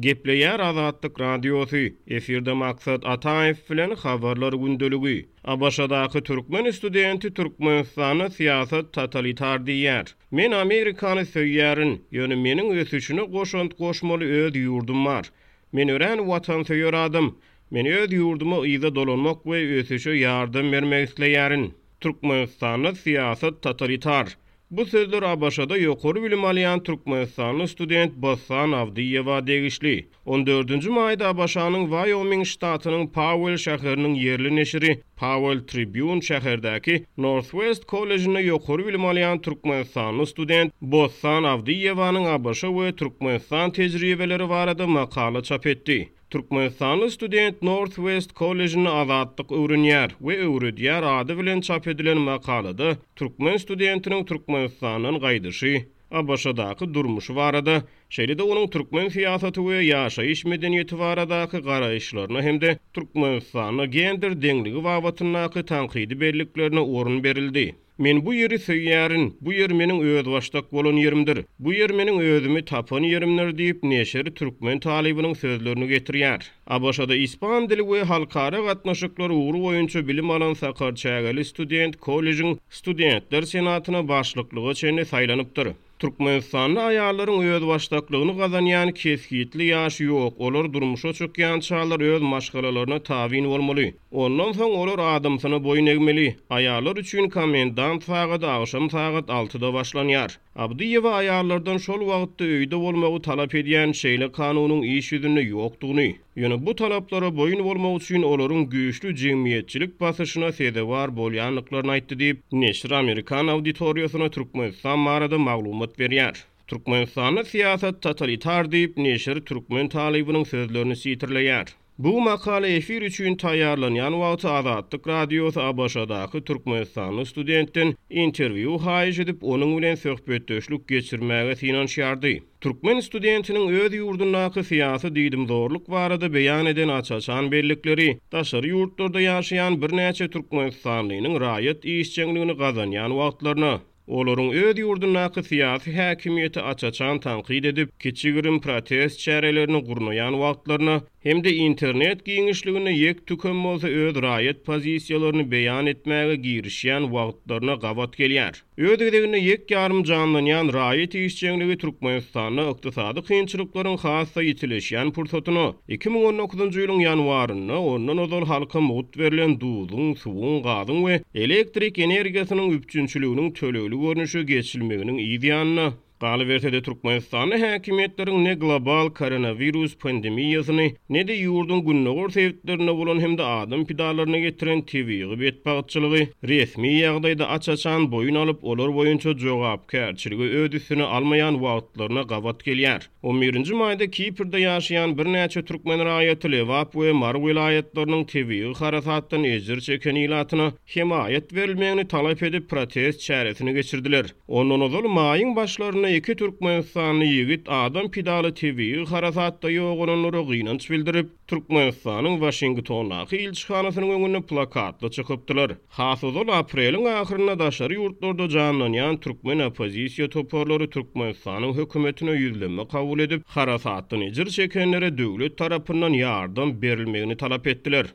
Gepleýär Azatlyk Radiosy, efirde Maksat Ataýew bilen Habarlar gündeligi. ABŞ-daky türkmen studenti Türkmenistanda syýasat totalitar diýýär. Men Amerikany söýýärin, ýöne meniň ösüşine goşant goşmaly öz ýurdum bar. Men örän watansöýer adam. Men öz ýurduma yza dolanmak we ösüşe ýardam bermek isleýärin. Türkmenistanda syýasat totalitar. Bu sözler ABŞ-da ýokary bilim alýan türkmenistanly student Bossan Awdyýewa degişli. On dördünji maýda ABŞ-nyň Waýoming ştatynyň Pauell şäheriniň ýerli neşiri Powell Tribune şäherdäki Northwest kollejinde ýokary bilim alýan türkmenistanly student Bossan Awdyýewanyň ABŞ we Türkmenistan tejribeleri barada makala çap etdi. Türkmenistanly student Northwest kollejinde azatlyk öwrenýär we öwredýär ady bilen çap edilen makalada türkmen studentiniň Türkmenistandan gaýdyşy, ABŞ-daky durmuşy barada, şeýle-de onuň türkmen syýasaty we ýaşaýyş medeniýeti baradaky garaýyşlaryna hem-de Türkmenistanda gender deňligi babatyndaky tankydy belliklerine orun berildi. Men bu ýeri söýýärin, bu ýer meniň özbaşdak bolan ýerimdir. Bu ýer meniň özümi tapan ýerimdir diýip, neşir türkmen talybynyň sözlerini getirýär. ABŞ-da ispan dili we halkara gatnaşyklar ugry boýunça bilim alan sakarçägeli student kollejiň Studentler senatyna başlyklyga çenli saýlanypdyr. Türkmenistanda aýallaryň özbaşdaklygyny gazanýan kesgitli ýaş ýok, olar durmuşa çykýançalar öz maşgalalaryna tabyn bolmaly. Ondan soň olar adamsyna boýun egmeli. Aýallar üçin komendant sagady agşam sagat altyda başlanýar. Abdyýewa aýallardan şol wagtda öýde bolmagy talap edýän şeýle kanunyň iş ýüzünde ýokdugyny, ýöne bu talaplara boýun bolmak üçin olaryň güýçli jemgyýetçilik basyşyna sezewar bolýandyklaryny aýtdy diýip, neşir amerikan auditoriýasyna Türkmenistan barada maglumat berýär. Türkmenistanda syýasat totalitar diýip, neşir türkmen talybynyň sözlerini sitirleýär. Bu makala efir üçin taýýarlanýan wagty Azatlyk Radiosy ABŞ-daky türkmenistanly studentden interwýu haýyş edip, onuň bilen söhbetdeşlik geçirmäge synanyşýardy. Türkmen studentiniň öz ýurdundaky syýasy diýdimzorluk barada beýan eden aç-açan bellikleri daşary ýurtlarda ýaşaýan birnäçe türkmenistanlynyň raýat işjeňligini gazanýan wagtlaryna, olaryň öz ýurdundaky syýasy häkimiýeti aç-açan tankyt edip, kiçi-girim protest çärelerini gurnaýan wagtlaryna hem-de internet giňişliginde ýek-tükem bolsa öz raýat pozisiýalaryny beýan etmäge girişýän wagtlaryna gabat gelýär. Öz gezeginde ýek-ýarym janlanýan raýat işjeňligi Türkmenistanda ykdysady kynçylyklaryň has-da ýitileşýän pursatyna, 2019-njy ýylyň ýanwarynda ondan ozal halka mugt berlen duzuň, suwuň, gazyň we elektrik energiýasynyň üpjünçiliginiň tölegli görnüşe geçilmeginiň yz ýanyna, Galyberse-de, Türkmenistanda häkimiýetleriň ne global koronawirus pandemiýasyny, ne-de ýurduň gündogar sebitlerinde bolan hem-de adam pidalaryna getiren tebigy betbagtçylygy resmi ýagdaýda aç-açan boýun alyp, olar boýunça jogapkärçiligi öz üstüne almaýan wagtlaryna gabat gelýär. On birinji maýda Kiprde ýaşaýan birnäçe türkmen raýaty Lebap we Mary welaýatlarynyň tebigy harasatdan ejir çeken ilatyna hemaýat berilmegini talap edip protest çäresini geçirdiler. Ondan ozal maýyň başlarynda iki türkmenistanly ýigit adam pidaly tebigy harasatda ýogalanlara gynanç bildirip, Türkmenistanyň Waşingtondaky ilçihanasynyň öňünde plakatly çykypdylar. Has ozal apreliň ahyrynda daşary ýurtlarda janlanýan türkmen oppozisiýa toparlary Türkmenistanyň hökümetine ýüzlenme kabul edip, harasatdan ejir çekenlere döwlet tarapyndan ýardam berilmegini talap etdiler.